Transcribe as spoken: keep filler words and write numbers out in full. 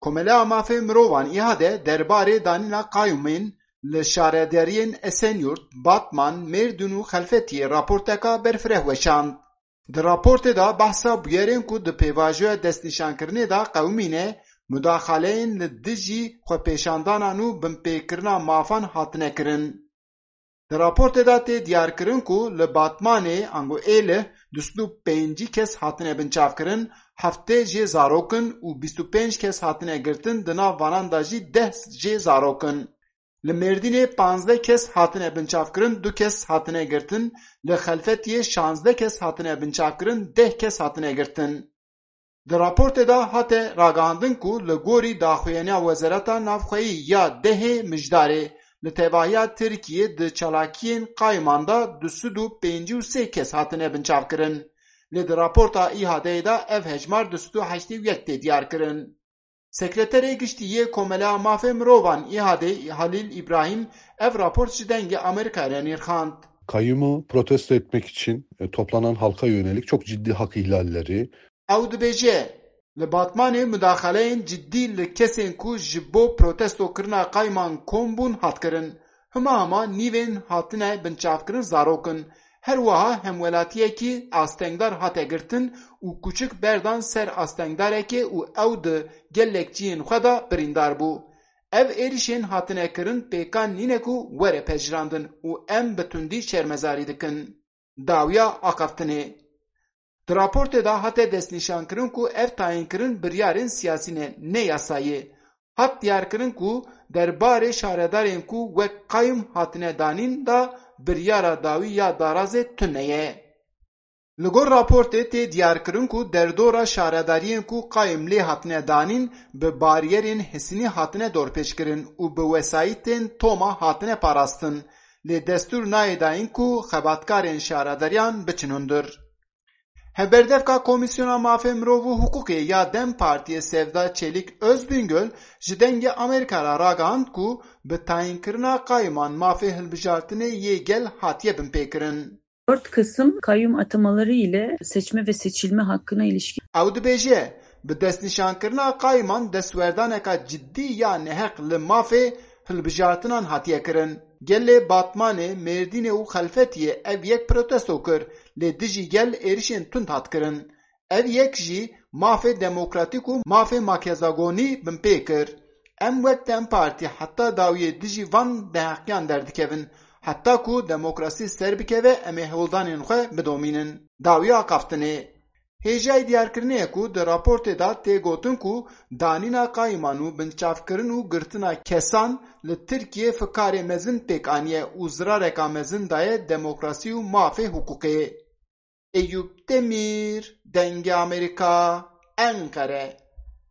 Komeleya Mafê Mirovan, İHADE, derbarê danîna qayûmên li şaredariyên Esenyurt, Batman, Mêrdîn û Xelfetiyê raporteka berfireh weşand. Di raportê de behsa bûyerên ku di pêvajoya destnîşankirinê de qewimîne, mudaxaleyên li dijî xwepêşandanan û binpêkirina mafan hatine kirin. Di raportê de tê diyarkirin ku li Batmanê, ango Êlih, du sed û pêncî kes hatine binçavkirin, heftê jê zarok in û bîst û pênc kes hatine girtin, di nav vanan de jî deh jê zarok in. Li Mêrdînê panzdeh kes hatine binçavkirin, du kes hatine girtin, li Xelfetiyê şazdeh kes hatine binçavkirin, deh kes hatine girtin. Di raportê de hate ragihandin ku li gorî daxuyaniya Wezareta Navxweyî ya dehê Mijdarê, li tevahiya Tirkiyê di çalakiyên qayman de du sed û pêncî û sê kes hatine binçavkirin. Lê di raporta İHADEyê de ev hejmar du sed û heştê û yek tê diyarkirin. Sekreterê Giştî yê Komeleya Mafê Mirovan, İHADE, Halil İbrahim, ev raport ji Dengê Amerîkayê re nirxand. Kayyumu protesto etmek için e, toplanan halka yönelik çok ciddi hak ihlalleri, Ew dibêje, li Batmanê mudaxaleyên cidî li kesên ku ji bo protestokirina qayman kom bûn hat kirin. Hima hima nîvên hatine binçavkirin zarok in. Her wiha hemwelatiyekî astengdar hate girtin û kuçik berdan ser astengdarekê û ew di gelek cihên xwe de birîndar bû. Ev êrişên hatine kirin pêkan nîne ku were pejirandin û em bi tundî şermezarî dikin. Dawiya axaftinê. Di raportê de hate destnîşankirin ku ev tayînkirin biryarên siyasî ne, ne yasayî. Hat diyarkirin ku derbarê şaredarên ku wek qayim hatine danîn de biryara dawî ya darazê tune ye. Li gor raportê tê diyarkirin ku derdora şaredariyên ku qayim lê hatine danîn bi bariyerên hisînî hatine dorpêçkirin û bi wesayîtên toma hatine parastin, lê destûr nayê dayîn ku xebatkarên şaredariyan biçin hundir. Hevberdevka Komîsyona Mafê Mirov û Hiqûqê ya DEM Partiyê Sevda Çelîk Özbingöl ji Dengê Amerîka re ragihand ku bi tayînkirina qayman mafê hilbijartinê yê gel hatiye binpêkirin. Dört Kasım kayyum atamaları ile seçme ve seçilme hakkına ilişkin Ew dibêje, bi destnîşankirina qayman destwerdaneka cidî ya neheq li mafê hilbijartinan hatiye kirin. Gelê Batmanê, Mêrdînê û Xelfetiyê ev yek protesto kir, lê dijî gel êrişên tund hat kirin. Ev yek jî mafê demokratîk û mafê makezagonî binpê kir. Em wek DEM Partî heta dawiyê dijî van neheqiyan derdikevin. Heta ku demokrasî ser bikeve, em ê hewldanên xwe bidomînin. Dawiya axaftinê. Hêjayî diyarkirinê ye ku di raportê de tê gotin ku danîna qayman û binçavkirin û girtina kesan li Tirkiyê fikarê mezin pêk aniye û zirareka mezin daye demokrasî û mafê hiqûqê. Eyûp Demîr, Dengê Amerîka, Enqere.